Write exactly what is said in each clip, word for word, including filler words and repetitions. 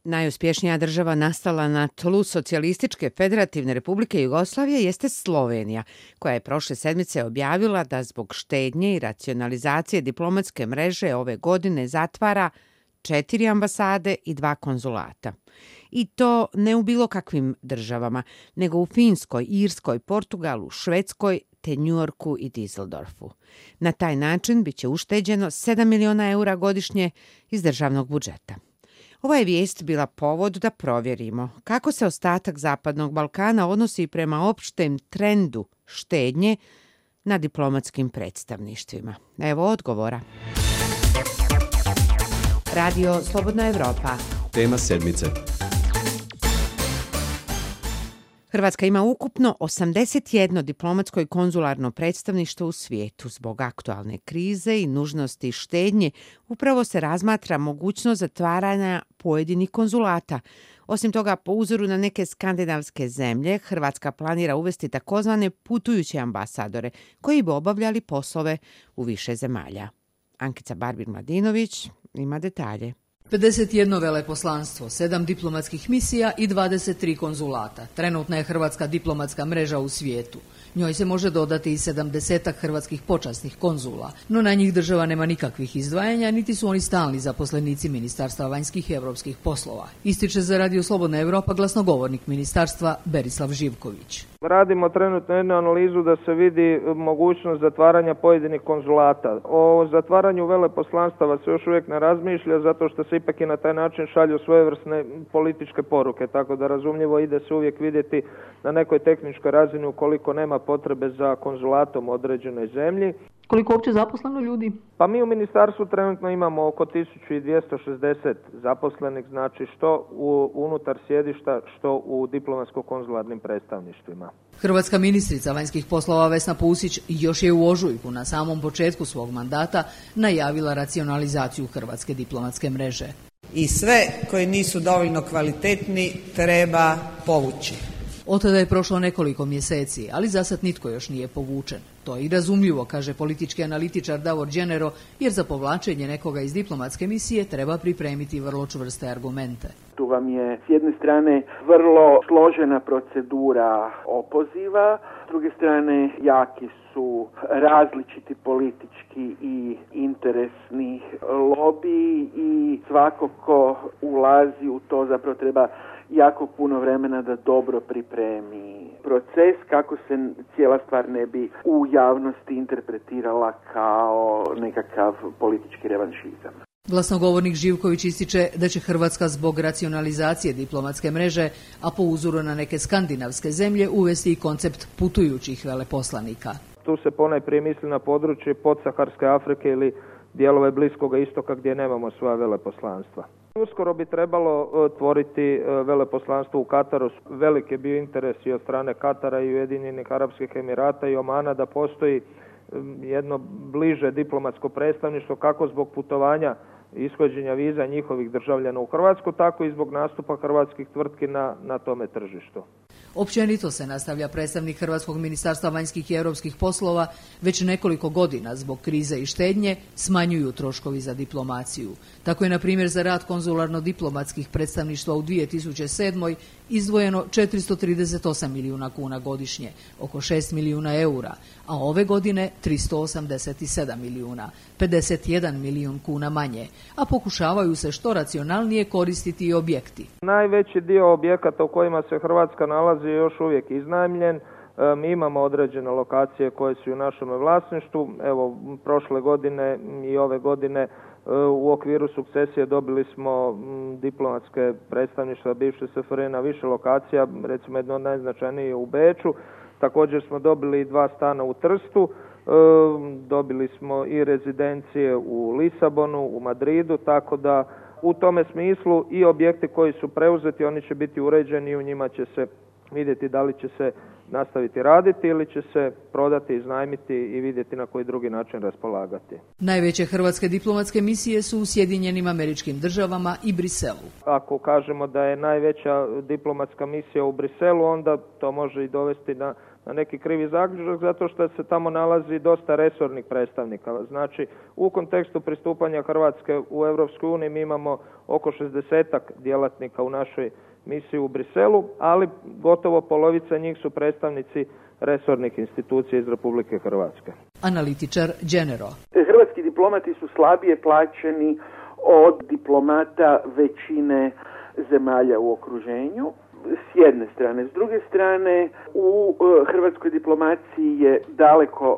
Najuspješnija država nastala na tlu Socijalističke federativne republike Jugoslavije jeste Slovenija, koja je prošle sedmice objavila da zbog štednje i racionalizacije diplomatske mreže ove godine zatvara četiri ambasade i dva konzulata. I to ne u bilo kakvim državama, nego u Finskoj, Irskoj, Portugalu, Švedskoj, te Njujorku i Düsseldorfu. Na taj način biće ušteđeno sedam miliona eura godišnje iz državnog budžeta. Ova je vijest bila povod da provjerimo kako se ostatak Zapadnog Balkana odnosi prema opštem trendu štednje na diplomatskim predstavništvima. Evo odgovora. Radio Slobodna Evropa. Tema sedmice. Hrvatska ima ukupno osamdeset jedno diplomatsko i konzularno predstavništvo u svijetu. Zbog aktualne krize i nužnosti štednje upravo se razmatra mogućnost zatvaranja pojedinih konzulata. Osim toga, po uzoru na neke skandinavske zemlje, Hrvatska planira uvesti takozvane putujuće ambasadore koji bi obavljali poslove u više zemalja. Ankica Barbir-Mladinović ima detalje. pedeset jedno veleposlanstvo, sedam diplomatskih misija i dvadeset tri konzulata. Trenutna je hrvatska diplomatska mreža u svijetu. Njoj se može dodati i sedamdesetak hrvatskih počasnih konzula, no na njih država nema nikakvih izdvajanja, niti su oni stalni zaposlenici Ministarstva vanjskih i europskih poslova. Ističe za Radio Slobodna Evropa glasnogovornik ministarstva Berislav Živković. Radimo trenutno jednu analizu da se vidi mogućnost zatvaranja pojedinih konzulata. O zatvaranju veleposlanstava se još uvijek ne razmišlja, zato što se ipak i na taj način šalju svojevrsne političke poruke, tako da razumljivo ide se uvijek vidjeti na nekoj tehničkoj razini ukoliko nema potrebe za konzulatom u određenoj zemlji. Koliko uopće zaposleno ljudi? Pa mi u ministarstvu trenutno imamo oko tisuću dvjesto šezdeset zaposlenih, znači što u, unutar sjedišta, što u diplomatsko-konzularnim predstavništvima. Hrvatska ministrica vanjskih poslova Vesna Pusić još je u ožujku na samom početku svog mandata najavila racionalizaciju hrvatske diplomatske mreže. I sve koji nisu dovoljno kvalitetni treba povući. Od tada je prošlo nekoliko mjeseci, ali zasad nitko još nije povučen. To je i razumljivo, kaže politički analitičar Davor Đenero, jer za povlačenje nekoga iz diplomatske misije treba pripremiti vrlo čvrste argumente. Tu vam je s jedne strane vrlo složena procedura opoziva, s druge strane jaki su različiti politički i interesni lobiji i svako ko ulazi u to zapravo treba jako puno vremena da dobro pripremi proces kako se cijela stvar ne bi u javnosti interpretirala kao nekakav politički revanšizam. Glasnogovornik Živković ističe da će Hrvatska zbog racionalizacije diplomatske mreže, a po uzoru na neke skandinavske zemlje, uvesti i koncept putujućih veleposlanika. Tu se ponajprije misli na područje podsaharske Afrike ili dijelove Bliskoga istoka gdje nemamo svoja veleposlanstva. Uskoro bi trebalo otvoriti veleposlanstvo u Kataru. Velik je bio interes i od strane Katara i Ujedinjenih Arapskih Emirata i Omana da postoji jedno bliže diplomatsko predstavništvo kako zbog putovanja i ishođenja viza njihovih državljana u Hrvatsku, tako i zbog nastupa hrvatskih tvrtki na, na tome tržištu. Općenito se nastavlja predstavnik Hrvatskog ministarstva vanjskih i europskih poslova, već nekoliko godina zbog krize i štednje smanjuju troškovi za diplomaciju. Tako je, na primjer, za rad konzularno-diplomatskih predstavništva u dvije tisuće sedmoj izdvojeno četiristo trideset osam milijuna kuna godišnje, oko šest milijuna eura, a ove godine tristo osamdeset sedam milijuna, pedeset jedan milijun kuna manje, a pokušavaju se što racionalnije koristiti i objekti. Najveći dio objekata u kojima se Hrvatska nalazi je još uvijek iznajmljen. Mi imamo određene lokacije koje su u našem vlasništvu. Evo, prošle godine i ove godine u okviru sukcesije dobili smo diplomatske predstavništva bivše S F R J na više lokacija, recimo jedno od najznačajnijih u Beču. Također smo dobili dva stana u Trstu, dobili smo i rezidencije u Lisabonu, u Madridu, tako da u tome smislu i objekti koji su preuzeti, oni će biti uređeni i u njima će se vidjeti da li će se nastaviti raditi ili će se prodati, iznajmiti i vidjeti na koji drugi način raspolagati. Najveće hrvatske diplomatske misije su u Sjedinjenim Američkim Državama i Briselu. Ako kažemo da je najveća diplomatska misija u Briselu, onda to može i dovesti na, na neki krivi zaključak, zato što se tamo nalazi dosta resornih predstavnika. Znači, u kontekstu pristupanja Hrvatske u Europskoj uniji mi imamo oko šezdesetak djelatnika u našoj misiji u Briselu, ali gotovo polovica njih su predstavnici resornih institucija iz Republike Hrvatske. Analitičar Genero. Hrvatski diplomati su slabije plaćeni od diplomata većine zemalja u okruženju. S jedne strane. S druge strane, u hrvatskoj diplomaciji je daleko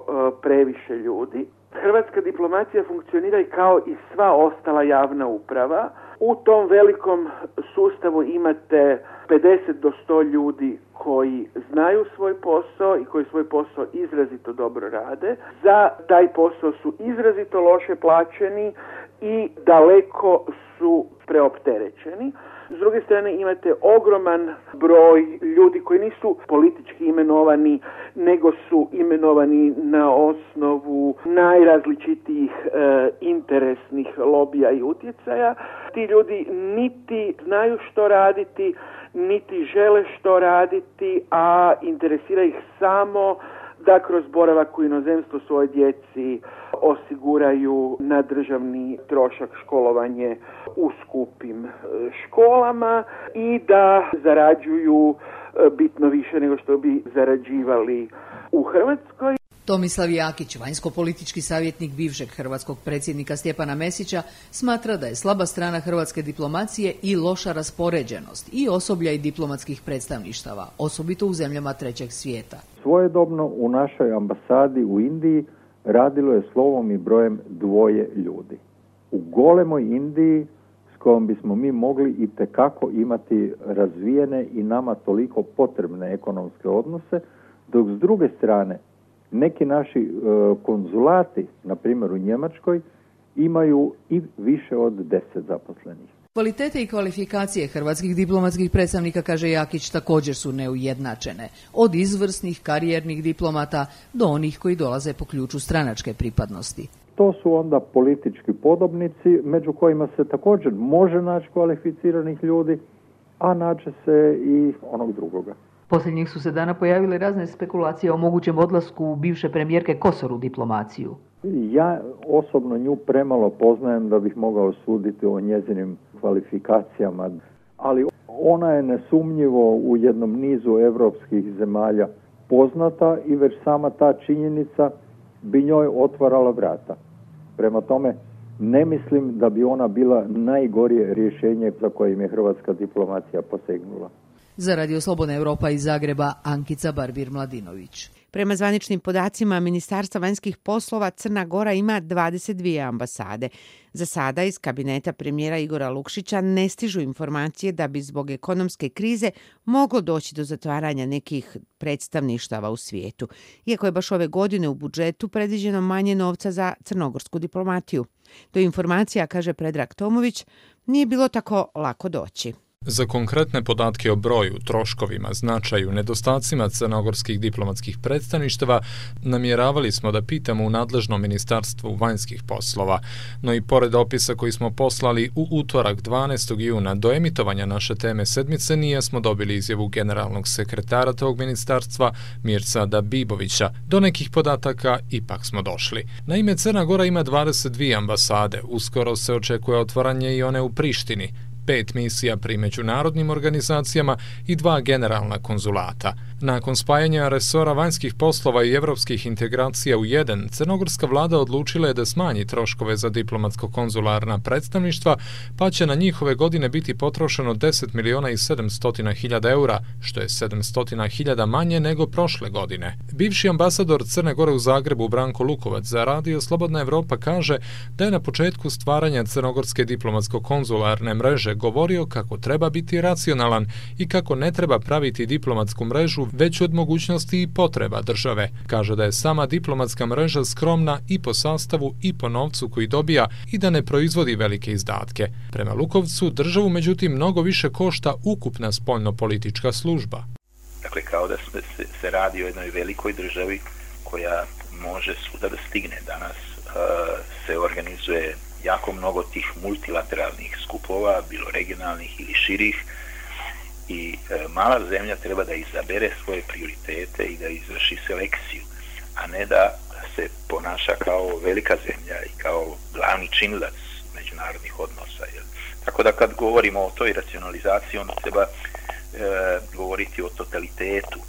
previše ljudi. Hrvatska diplomacija funkcionira i kao i sva ostala javna uprava. U tom velikom sustavu imate pedeset do sto ljudi koji znaju svoj posao i koji svoj posao izrazito dobro rade. Za taj posao su izrazito loše plaćeni i daleko su preopterećeni. S druge strane imate ogroman broj ljudi koji nisu politički imenovani, nego su imenovani na osnovu najrazličitijih e, interesnih lobija i utjecaja. Ti ljudi niti znaju što raditi, niti žele što raditi, a interesira ih samo da kroz boravak u inozemstvu svojoj djeci osiguraju na državni trošak školovanje u skupim školama i da zarađuju bitno više nego što bi zarađivali u Hrvatskoj. Tomislav Jakić, vanjsko-politički savjetnik bivšeg hrvatskog predsjednika Stjepana Mesića, smatra da je slaba strana hrvatske diplomacije i loša raspoređenost i osoblja i diplomatskih predstavništava, osobito u zemljama trećeg svijeta. Svojedobno u našoj ambasadi u Indiji radilo je slovom i brojem dvoje ljudi. U golemoj Indiji s kojom bismo mi mogli itekako imati razvijene i nama toliko potrebne ekonomske odnose, dok s druge strane neki naši e, konzulati, na primjer u Njemačkoj, imaju i više od deset zaposlenih. Kvalitete i kvalifikacije hrvatskih diplomatskih predstavnika, kaže Jakić, također su neujednačene. Od izvrsnih karijernih diplomata do onih koji dolaze po ključu stranačke pripadnosti. To su onda politički podobnici, među kojima se također može naći kvalificiranih ljudi, a naće se i onog drugoga. Posljednjih su se dana pojavile razne spekulacije o mogućem odlasku bivše premijerke Kosor u diplomaciju. Ja osobno nju premalo poznajem da bih mogao suditi o njezinim kvalifikacijama, ali ona je nesumnjivo u jednom nizu europskih zemalja poznata i već sama ta činjenica bi njoj otvarala vrata. Prema tome, ne mislim da bi ona bila najgorije rješenje za kojim je hrvatska diplomacija posegnula. Za Radio Slobodna Europa iz Zagreba, Ankica Barbir-Mladinović. Prema zvaničnim podacima Ministarstva vanjskih poslova, Crna Gora ima dvadeset dvije ambasade. Za sada iz kabineta premijera Igora Lukšića ne stižu informacije da bi zbog ekonomske krize moglo doći do zatvaranja nekih predstavništava u svijetu, iako je baš ove godine u budžetu predviđeno manje novca za crnogorsku diplomatiju. Do informacija, kaže Predrag Tomović, nije bilo tako lako doći. Za konkretne podatke o broju, troškovima, značaju, nedostacima crnogorskih diplomatskih predstavništava namjeravali smo da pitamo u nadležnom ministarstvu vanjskih poslova, no i pored opisa koji smo poslali u utorak dvanaestog juna do emitovanja naše teme sedmice nismo dobili izjavu generalnog sekretara tog ministarstva Mircada Bibovića. Do nekih podataka ipak smo došli. Naime, Crna Gora ima dvadeset dvije ambasade, uskoro se očekuje otvaranje i one u Prištini, pet misija pri međunarodnim organizacijama i dva generalna konzulata. Nakon spajanja resora vanjskih poslova i evropskih integracija u jedan, crnogorska vlada odlučila je da smanji troškove za diplomatsko-konzularna predstavništva, pa će na njihove godine biti potrošeno deset miliona i sedamsto hiljada eura, što je sedamsto hiljada manje nego prošle godine. Bivši ambasador Crne Gore u Zagrebu Branko Lukovac za Radio Slobodna Evropa kaže da je na početku stvaranja crnogorske diplomatsko-konzularne mreže govorio kako treba biti racionalan i kako ne treba praviti diplomatsku mrežu već od mogućnosti i potreba države. Kaže da je sama diplomatska mreža skromna i po sastavu i po novcu koji dobija i da ne proizvodi velike izdatke. Prema Lukovcu, državu međutim mnogo više košta ukupna spoljno-politička služba. Dakle, kao da se, se radi o jednoj velikoj državi koja može svuda da stigne. Danas uh, se organizuje jako mnogo tih multilateralnih skupova, bilo regionalnih ili širih, i e, mala zemlja treba da izabere svoje prioritete i da izvrši selekciju, a ne da se ponaša kao velika zemlja i kao glavni činilac međunarodnih odnosa. Jel? Tako da kad govorimo o toj racionalizaciji, onda treba e, govoriti o totalitetu,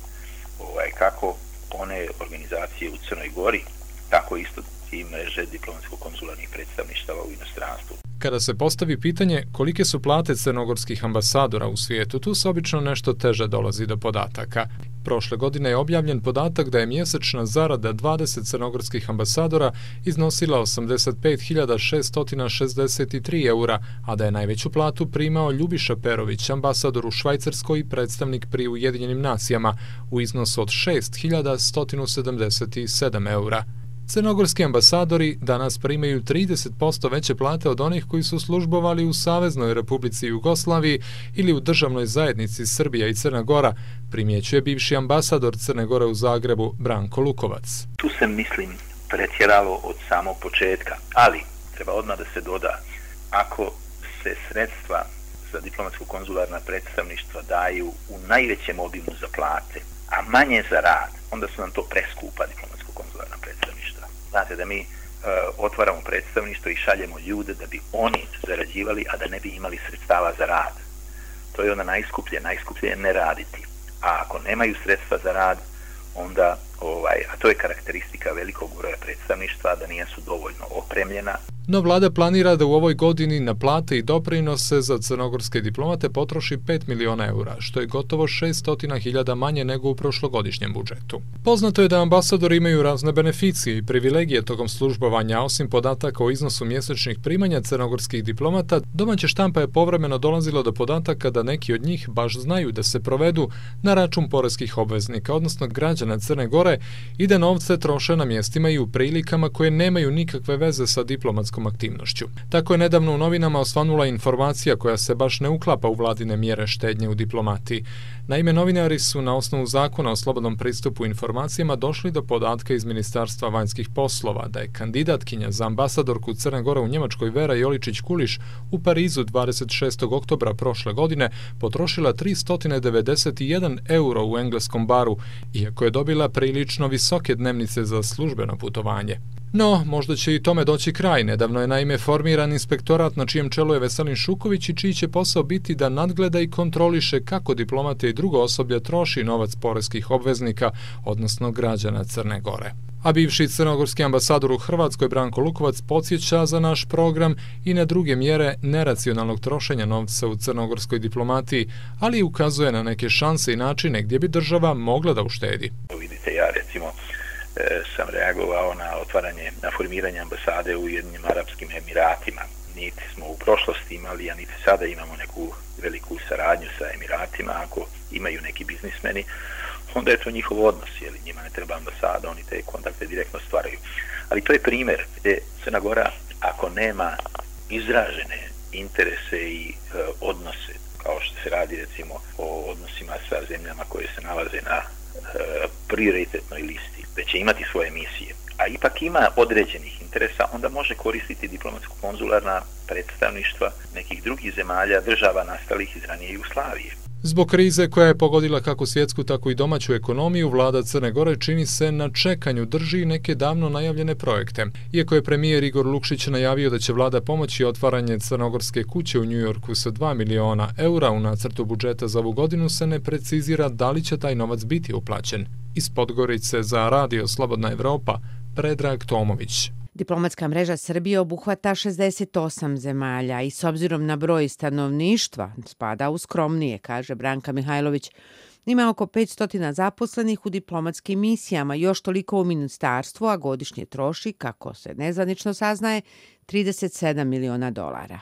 ovaj, kako one organizacije u Crnoj Gori, tako isto i mreže diplomatsko-konzularnih predstavništava u inostranstvu. Kada se postavi pitanje kolike su plate crnogorskih ambasadora u svijetu, tu se obično nešto teže dolazi do podataka. Prošle godine je objavljen podatak da je mjesečna zarada dvadeset crnogorskih ambasadora iznosila osamdeset pet hiljada šesto šezdeset tri eura, a da je najveću platu primao Ljubiša Perović, ambasador u Švajcarskoj i predstavnik pri Ujedinjenim nacijama, u iznosu od šest hiljada sto sedamdeset sedam eura. Crnogorski ambasadori danas primaju trideset posto veće plate od onih koji su službovali u Saveznoj Republici Jugoslaviji ili u državnoj zajednici Srbija i Crna Gora, primjećuje bivši ambasador Crne Gore u Zagrebu Branko Lukovac. Tu se, mislim, pretjeralo od samog početka, ali treba odmah da se doda, ako se sredstva za diplomatsko-konzularna predstavništva daju u najvećem obimu za plate, a manje za rad, onda su nam to preskupa diplomatsko-konzularna predstavništva. Znate da mi e, otvaramo predstavništvo i šaljemo ljude da bi oni zarađivali, a da ne bi imali sredstava za rad. To je onda najskuplje, najskuplje je ne raditi. A ako nemaju sredstva za rad, onda, ovaj, a to je karakteristika velikog broja predstavništva, da nisu dovoljno opremljena. No vlada planira da u ovoj godini na plate i doprinose za crnogorske diplomate potroši pet miliona eura, što je gotovo šesto hiljada manje nego u prošlogodišnjem budžetu. Poznato je da ambasadori imaju razne beneficije i privilegije tokom službovanja, osim podataka o iznosu mjesečnih primanja crnogorskih diplomata, domaća štampa je povremeno dolazila do podataka da neki od njih baš znaju da se provedu na račun poreskih obveznika, odnosno građana Crne Gore, i da novce troše na mjestima i u prilikama koje nemaju nikakve veze sa diplomatskom aktivnošću. Tako je nedavno u novinama osvanula informacija koja se baš ne uklapa u vladine mjere štednje u diplomatiji. Naime, novinari su na osnovu zakona o slobodnom pristupu informacijama došli do podatka iz Ministarstva vanjskih poslova da je kandidatkinja za ambasadorku Crne Gore u Njemačkoj Vera Joličić-Kuliš u Parizu dvadeset šestog oktobra prošle godine potrošila tristo devedeset jedan euro u engleskom baru, iako je dobila prilično visoke dnevnice za službeno putovanje. No, možda će i tome doći kraj. Nedavno je naime formiran inspektorat na čijem čelu je Veselin Šuković i čiji će posao biti da nadgleda i kontroliše kako diplomate i drugo osoblje troši novac poreskih obveznika, odnosno građana Crne Gore. A bivši crnogorski ambasador u Hrvatskoj Branko Lukovac podsjeća za naš program i na druge mjere neracionalnog trošenja novca u crnogorskoj diplomatiji, ali i ukazuje na neke šanse i načine gdje bi država mogla da uštedi. Vidite, ja recimo sam reagovao na otvaranje, na formiranje ambasade u Ujedinjenim Arapskim Emiratima. Niti smo u prošlosti imali, a niti sada imamo neku veliku saradnju sa Emiratima. Ako imaju neki biznismeni, onda je to njihov odnos, jer njima ne treba ambasada, oni te kontakte direktno stvaraju. Ali to je primjer gdje Crna Gora, ako nema izražene interese i e, odnose, kao što se radi recimo o odnosima sa zemljama koje se nalaze na e, prioritetnoj listi, da će imati svoje misije, a ipak ima određenih interesa, onda može koristiti diplomatsko-konzularna predstavništva nekih drugih zemalja, država nastalih iz ranije Jugoslavije. Zbog krize koja je pogodila kako svjetsku, tako i domaću ekonomiju, vlada Crne Gore čini se na čekanju drži neke davno najavljene projekte. Iako je premijer Igor Lukšić najavio da će vlada pomoći otvaranje crnogorske kuće u Njujorku sa dva miliona eura, u nacrtu budžeta za ovu godinu se ne precizira da li će taj novac biti uplaćen. Iz Podgorice za Radio Slobodna Evropa, Predrag Tomović. Diplomatska mreža Srbije obuhvata šezdeset osam zemalja i s obzirom na broj stanovništva spada u skromnije, kaže Branka Mihajlović. Ima oko petsto zaposlenih u diplomatskim misijama, još toliko u ministarstvu, a godišnje troši, kako se nezvanično saznaje, trideset sedam miliona dolara.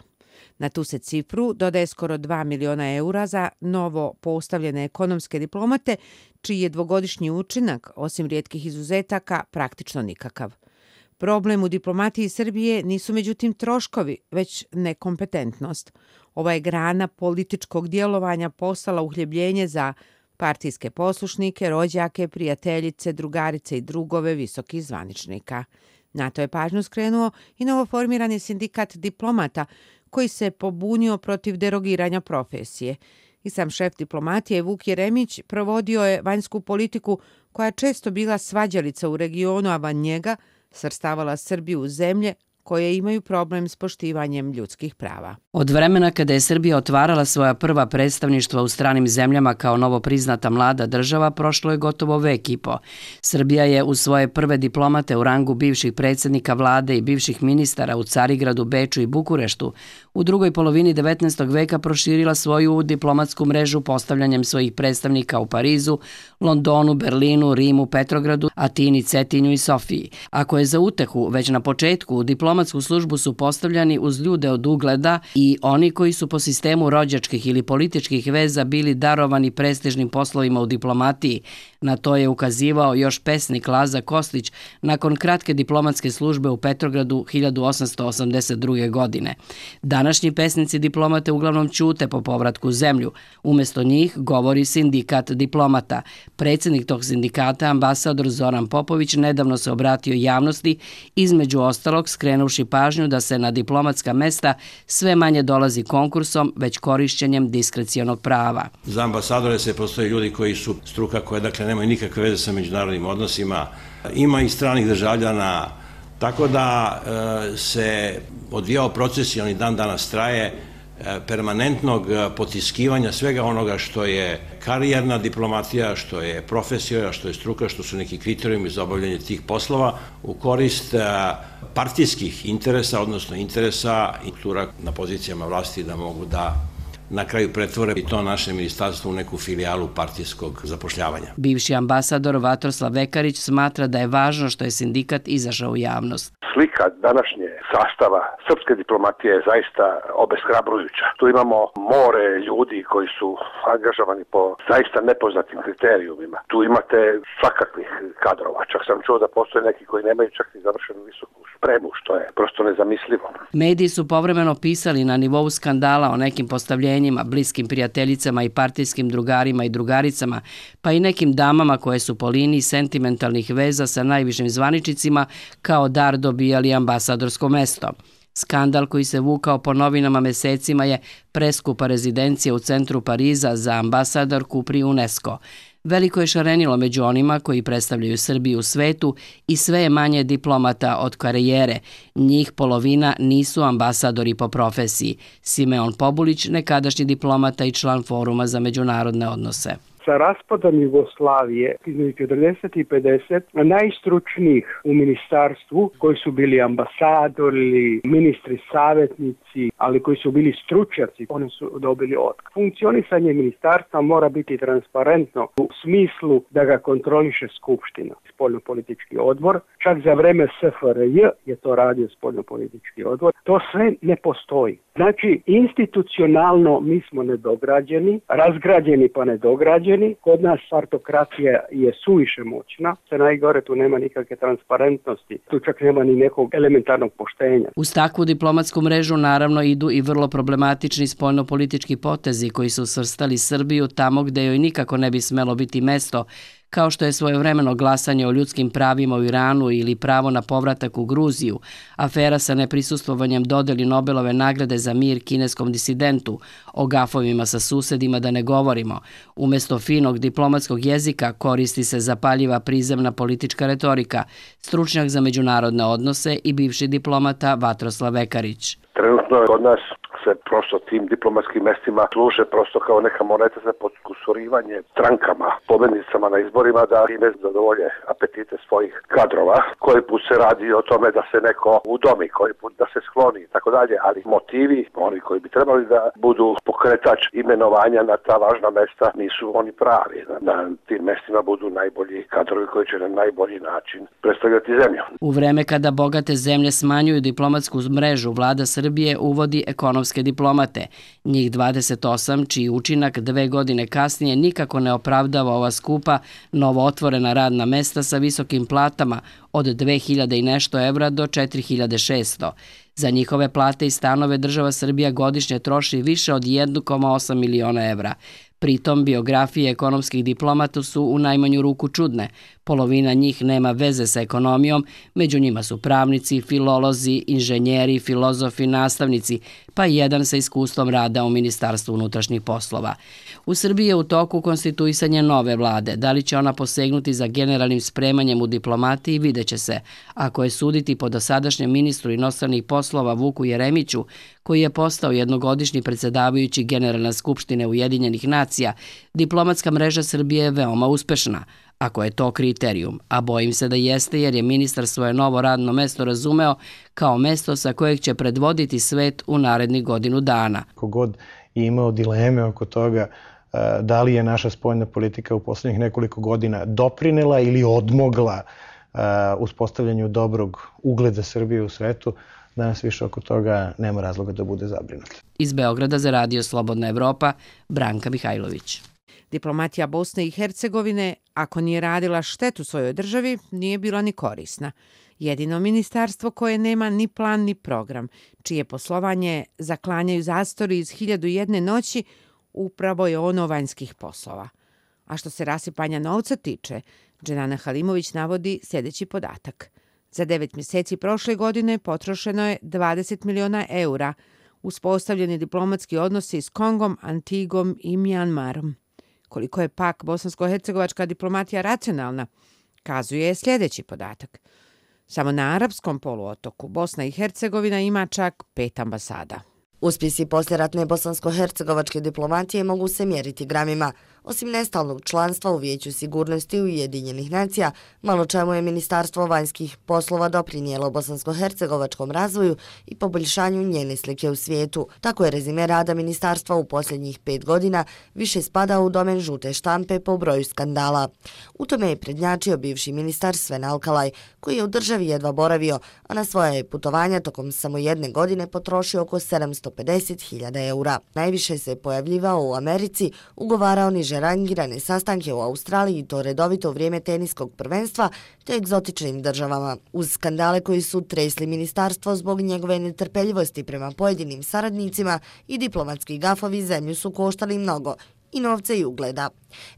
Na tu se cifru dodaje skoro dva miliona eura za novo postavljene ekonomske diplomate, čiji je dvogodišnji učinak, osim rijetkih izuzetaka, praktično nikakav. Problem u diplomatiji Srbije nisu međutim troškovi, već nekompetentnost. Ova je grana političkog djelovanja postala uhljebljenje za partijske poslušnike, rođake, prijateljice, drugarice i drugove visokih zvaničnika. Na to je pažnju skrenuo i novoformirani sindikat diplomata, koji se pobunio protiv derogiranja profesije. I sam šef diplomatije Vuk Jeremić provodio je vanjsku politiku koja je često bila svađalica u regionu, a van njega svrstavala Srbiju u zemlje koje imaju problem s poštivanjem ljudskih prava. Od vremena kada je Srbija otvarala svoja prva predstavništva u stranim zemljama kao novo priznata mlada država, prošlo je gotovo vek i po. Srbija je u svoje prve diplomate u rangu bivših predsjednika vlade i bivših ministara u Carigradu, Beču i Bukureštu u drugoj polovini devetnaestog veka proširila svoju diplomatsku mrežu postavljanjem svojih predstavnika u Parizu, Londonu, Berlinu, Rimu, Petrogradu, Atini, Cetinju i Sofiji. Ako je za utehu već na početku u diplomatsku službu su postavljani uz ljude od ugleda i oni koji su po sistemu rođačkih ili političkih veza bili darovani prestižnim poslovima u diplomatiji. Na to je ukazivao još pesnik Laza Kostić nakon kratke diplomatske službe u Petrogradu hiljadu osamsto osamdeset druge. godine. Današnji pesnici diplomate uglavnom ćute po povratku u zemlju. Umjesto njih govori sindikat diplomata. Predsjednik tog sindikata, ambasador Zoran Popović, nedavno se obratio javnosti, između ostalog skrenuvši pažnju da se na diplomatska mesta sve manje dolazi konkursom, već korišćenjem diskrecionog prava. Za ambasadore se postoje ljudi koji su struka koje dakle nemaju nikakve veze sa međunarodnim odnosima. Ima i stranih državljana, tako da e, se odvijao proces i on i dan danas traje e, permanentnog potiskivanja svega onoga što je karijerna diplomatija, što je profesija, što je struka, što su neki kriterijumi za obavljanje tih poslova u korist e, partijskih interesa, odnosno interesa i struktura na pozicijama vlasti da mogu da na kraju pretvore i to naše ministarstvo u neku filijalu partijskog zapošljavanja. Bivši ambasador Vatroslav Vekarić smatra da je važno što je sindikat izašao u javnost. Slika današnje sastava srpske diplomatije je zaista obeshrabrujuća. Tu imamo more ljudi koji su angažovani po zaista nepoznatim kriterijumima. Tu imate svakakvih kadrova. Čak sam čuo da postoje neki koji nemaju čak i završenu visoku spremu, što je prosto nezamislivo. Mediji su povremeno pisali na nivou skandala o nekim postavljenjima, bliskim prijateljicama i partijskim drugarima i drugaricama, pa i nekim damama koje su po liniji sentimentalnih veza sa najvišim zvaničnicima kao dar dobijali ambasadorsko mesto. Skandal koji se vukao po novinama mesecima je preskupa rezidencija u centru Pariza za ambasadorku pri UNESCO. Veliko je šarenilo među onima koji predstavljaju Srbiju u svetu i sve je manje diplomata od karijere. Njih polovina nisu ambasadori po profesiji. Simeon Pobulić, nekadašnji diplomata i član Foruma za međunarodne odnose. Sa raspadom Jugoslavije između četrdeset i pedeset najstručnijih u ministarstvu koji su bili ambasadori, ministri, savjetnici, ali koji su bili stručnjaci, oni su dobili otkaz. Funkcionisanje ministarstva mora biti transparentno u smislu da ga kontroliše Skupština, spoljnopolitički odbor. Čak za vreme S F R J je to radio spoljnopolitički odbor. To sve ne postoji. Znači, institucionalno mi smo nedograđeni, razgrađeni pa nedograđeni. Kod nas partokratija je suviše moćna. Se najgore, tu nema nikakve transparentnosti. Tu čak nema ni nekog elementarnog poštenja. Uz takvu diplomatsku mrežu naravno idu i vrlo problematični spoljnopolitički potezi koji su svrstali Srbiju tamo gde joj nikako ne bi smelo biti mesto, kao što je svojevremeno glasanje o ljudskim pravima u Iranu ili pravo na povratak u Gruziju, afera sa neprisustovanjem dodeli Nobelove nagrade za mir kineskom disidentu, o gafovima sa susedima da ne govorimo. Umjesto finog diplomatskog jezika koristi se zapaljiva prizemna politička retorika, stručnjak za međunarodne odnose i bivši diplomata Vatroslav Vekarić. Trenutno je kod nas se prosto tim diplomatskim mestima služe prosto kao neka moneta za podkusurivanje strankama, pobednicama na izborima da time zadovolje apetite svojih kadrova. Koji put se radi o tome da se neko udomi, koji put da se skloni i tako dalje, ali motivi, oni koji bi trebali da budu pokretač imenovanja na ta važna mesta, nisu oni pravi. Na tim mestima budu najbolji kadrovi koji će na najbolji način predstavljati zemlju. U vreme kada bogate zemlje smanjuju diplomatsku mrežu, vlada Srbije uvodi ekonomske diplomate. Njih dvadeset osam, čiji učinak dve godine kasnije nikako ne opravdava ova skupa, novo otvorena radna mesta sa visokim platama od dve hiljade i nešto evra do četiri hiljade šesto. Za njihove plate i stanove država Srbija godišnje troši više od jedan zarez osam miliona evra. Pritom, biografije ekonomskih diplomata su u najmanju ruku čudne. Polovina njih nema veze sa ekonomijom, među njima su pravnici, filolozi, inženjeri, filozofi, nastavnici, pa i jedan sa iskustvom rada u Ministarstvu unutrašnjih poslova. U Srbiji je u toku konstituisanje nove vlade. Da li će ona posegnuti za generalnim spremanjem u diplomatiji, vidjet će se. Ako je suditi po dosadašnjem ministru inostranih poslova Vuku Jeremiću, koji je postao jednogodišnji predsjedavajući Generalne skupštine Ujedinjenih nacija, diplomatska mreža Srbije je veoma uspešna. Ako je to kriterijum, a bojim se da jeste jer je ministar svoje novo radno mesto razumeo kao mesto sa kojeg će predvoditi svet u narednih godinu dana. Kogod je imao dileme oko toga da li je naša spoljna politika u poslednjih nekoliko godina doprinela ili odmogla uspostavljanju dobrog ugleda Srbije u svetu, danas više oko toga nema razloga da bude zabrinut. Iz Beograda za Radio Slobodna Evropa, Branka Mihajlović. Diplomatija Bosne i Hercegovine, ako nije radila štetu svojoj državi, nije bila ni korisna. Jedino ministarstvo koje nema ni plan ni program, čije poslovanje zaklanjaju zastori iz Hiljadu i jedne noći, upravo je ono vanjskih poslova. A što se rasipanja novca tiče, Dženana Halimović navodi sljedeći podatak. Za devet mjeseci prošle godine potrošeno je dvadeset miliona eura, uspostavljeni diplomatski odnosi s Kongom, Antigom i Mjanmarom. Koliko je pak bosansko-hercegovačka diplomatija racionalna, kazuje sljedeći podatak. Samo na arapskom poluotoku Bosna i Hercegovina ima čak pet ambasada. Uspjesi poslijeratne bosansko-hercegovačke diplomatije mogu se mjeriti gramima. Osim nestalnog članstva u Vijeću sigurnosti Ujedinjenih nacija, malo čemu je Ministarstvo vanjskih poslova doprinijelo bosansko-hercegovačkom razvoju i poboljšanju njene slike u svijetu. Tako je rezime rada ministarstva u posljednjih pet godina više spada u domen žute štampe po broju skandala. U tome je prednjačio bivši ministar Sven Alkalaj, koji je u državi jedva boravio, a na svoje putovanja tokom samo jedne godine potrošio oko sedamsto pedeset hiljada eura. Najviše se pojavljivao u Americi, ugovarao niže rangirane sastanke u Australiji i to redovito u vrijeme teniskog prvenstva te egzotičnim državama. Uz skandale koji su tresli ministarstvo zbog njegove netrpeljivosti prema pojedinim saradnicima i diplomatski gafovi zemlju su koštali mnogo, i novca i ugleda.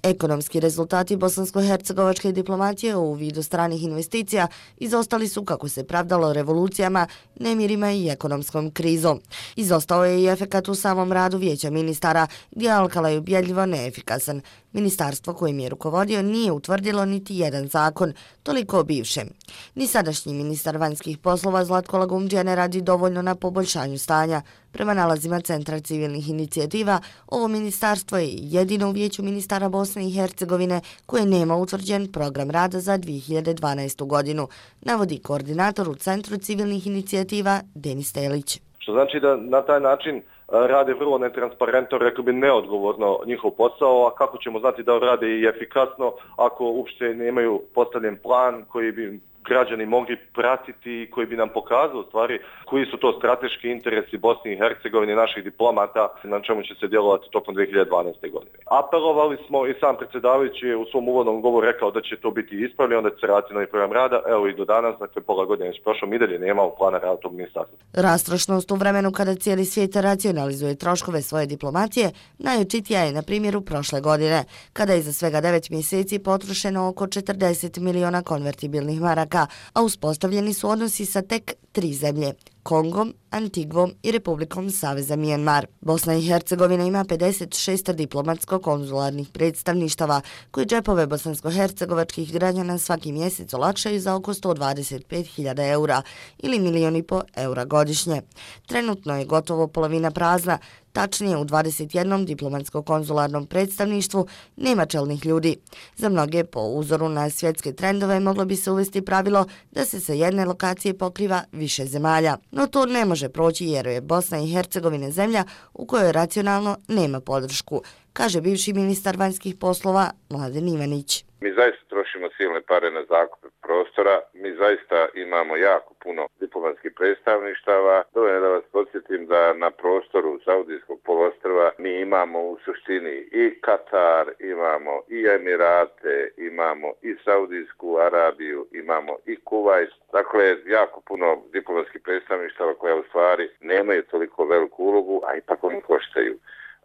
Ekonomski rezultati bosansko-hercegovačke diplomatije u vidu stranih investicija izostali su, kako se pravdalo, revolucijama, nemirima i ekonomskom krizom. Izostao je i efekat u samom radu Vijeća ministara, gdje je Alkalaj ubjedljivo neefikasan. Ministarstvo kojim je rukovodio nije utvrdilo niti jedan zakon, toliko o bivšem. Ni sadašnji ministar vanjskih poslova Zlatko Lagumdžija ne radi dovoljno na poboljšanju stanja. Prema nalazima Centra civilnih inicijativa, ovo ministarstvo je jedino u Vijeću ministara Bosne i Hercegovine koje nema utvrđen program rada za dvije hiljade dvanaestu godinu, navodi koordinator u Centru civilnih inicijativa Denis Telić. Što znači da na taj način rade vrlo netransparentno, rekao bi neodgovorno njihov posao, a kako ćemo znati da rade i efikasno ako uopšte nemaju postavljen plan koji bi građani mogli pratiti i koji bi nam pokazao u stvari koji su to strateški interesi Bosne i Hercegovine, naših diplomata, na čemu će se djelovati tokom dvije hiljade dvanaeste. godine. Apelovali smo i sam predsjedavajući je u svom uvodnom govoru rekao da će to biti ispravljeno, da će se raditi novi program rada. Evo i do danas, dakle pola godine već prošlo, mi dalje nemamo plana rada tog ministarstva. Rastrošnost u vremenu kada cijeli svijet racionalizuje troškove svoje diplomacije najočitija je na primjeru prošle godine, kada je za svega devet mjeseci potrošeno oko četrdeset miliona konvertibilnih maraka, a uspostavljeni su odnosi sa tek tri zemlje, Kongom, Antigvom i Republikom Saveza Mjanmar. Bosna i Hercegovina ima pedeset šest diplomatsko-konzularnih predstavništava koji džepove bosansko-hercegovačkih građana svaki mjesec olakšaju za oko sto dvadeset pet hiljada eura ili milijon i po eura godišnje. Trenutno je gotovo polovina prazna, tačnije u dvadeset jednom diplomatsko-konzularnom predstavništvu nema čelnih ljudi. Za mnoge, po uzoru na svjetske trendove, moglo bi se uvesti pravilo da se sa jedne lokacije pokriva više zemalja. No to ne može proći jer je Bosna i Hercegovina zemlja u kojoj racionalno nema podršku, kaže bivši ministar vanjskih poslova Mladen Ivanić. Mi zaista trošimo silne pare na zakup prostora, mi zaista imamo jako puno diplomatskih predstavništava. Dovoljno da vas podsjetim da na prostoru Saudijskog poluostrva mi imamo u suštini i Katar, imamo i Emirate, imamo i Saudijsku Arabiju, imamo i Kuvajt. Dakle, jako puno diplomatskih predstavništava koja u stvari nemaju toliko veliku ulogu, a ipak oni koštaju.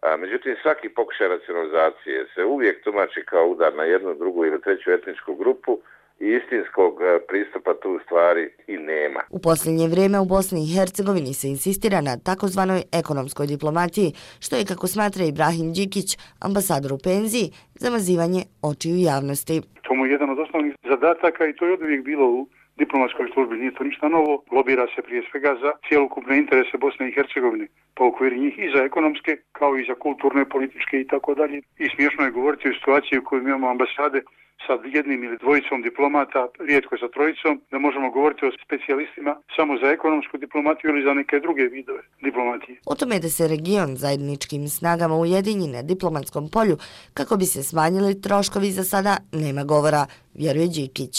A, međutim, svaki pokušaj racionalizacije se uvijek tumači kao udar na jednu, drugu ili treću etničku grupu i istinskog pristupa tu stvari i nema. U posljednje vrijeme u Bosni i Hercegovini se insistira na takozvanoj ekonomskoj diplomatiji, što je, kako smatra Ibrahim Đikić, ambasador u penziji, zamazivanje očiju javnosti. To mu je jedan od osnovnih zadataka i to je oduvijek bilo u diplomatskoj službi, nije to ništa novo. Lobira se prije svega za cijelokupne interese Bosne i Hercegovine, pa u okviru njih i za ekonomske, kao i za kulturne, političke i tako dalje. I smiješno je govoriti o situaciji u kojoj imamo ambasade sa jednim ili dvojicom diplomata, rijetko sa trojicom, da možemo govoriti o specijalistima samo za ekonomsku diplomatiju ili za neke druge vidove diplomatije. O tome da se region zajedničkim snagama ujedinji na diplomatskom polju kako bi se smanjili troškovi, za sada nema govora, vjeruje Đikić.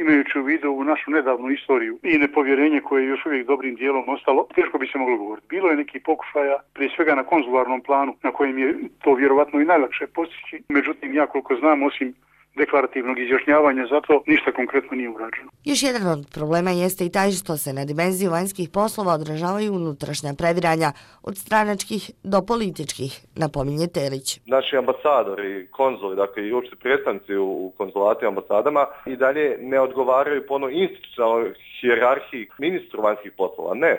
Imajući u vidu u našu nedavnu istoriju i nepovjerenje koje je još uvijek dobrim dijelom ostalo, teško bi se moglo govoriti. Bilo je neki pokušaja, prije svega na konzularnom planu, na kojem je to vjerovatno i najlakše postići. Međutim, ja koliko znam, osim deklarativnog izjašnjavanja, zato ništa konkretno nije urađeno. Još jedan od problema jeste i taj što se na dimenziju vanjskih poslova odražavaju unutrašnja previranja od stranačkih do političkih, napominje Telić. Naši ambasadori, konzuli, dakle i uopšte predstavnici u konzulatima, ambasadama i dalje ne odgovaraju po onoj institucionalnoj hijerarhiji ministru vanjskih poslova. Ne.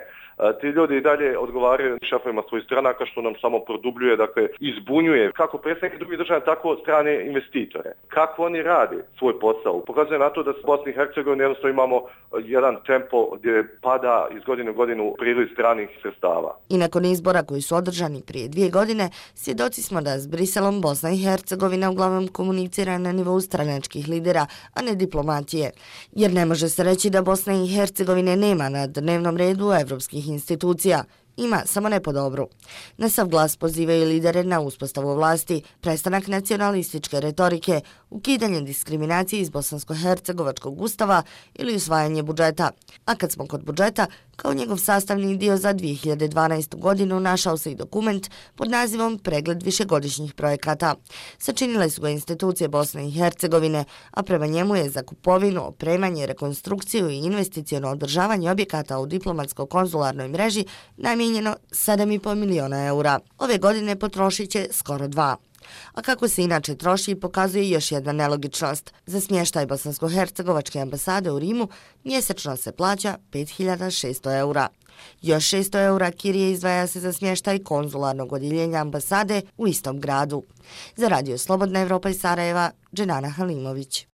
Ti ljudi i dalje odgovaraju šefovima svojih stranaka, što nam samo produbljuje, dakle izbunjuje kako predstavnike drugih država, tako strane investitore. Kako oni rade svoj posao? Pokazuje na to da u Bosni i Hercegovini jednostavno imamo jedan tempo gdje pada iz godine u godinu priliv stranih sredstava. I nakon izbora koji su održani prije dvije godine, svjedoci smo da s Briselom Bosna i Hercegovina uglavnom komunicira na nivou stranačkih lidera, a ne diplomatije. Jer ne može se reći da Bosna i Hercegovine nema na dnevnom redu evropskih institucija. Ima, samo ne po dobru. Na sav glas pozivaju lidere na uspostavu vlasti, prestanak nacionalističke retorike, ukidanje diskriminacije iz bosansko-hercegovačkog ustava ili usvajanje budžeta. A kad smo kod budžeta, kao njegov sastavni dio za dvije hiljade dvanaestu. godinu našao se i dokument pod nazivom Pregled višegodišnjih projekata. Sačinile su ga institucije Bosne i Hercegovine, a prema njemu je za kupovinu, opremanje, rekonstrukciju i investiciono održavanje objekata u diplomatsko-konzularnoj mreži namijenjeno sedam i pol miliona eura. Ove godine potrošit će skoro dva. A kako se inače troši, pokazuje još jedna nelogičnost. Za smještaj bosansko-hercegovačke ambasade u Rimu mjesečno se plaća pet hiljada šesto eura. Još šesto eura kirije izdvaja se za smještaj konzularnog odjeljenja ambasade u istom gradu. Za Radio Slobodna Evropa iz Sarajeva, Dženana Halimović.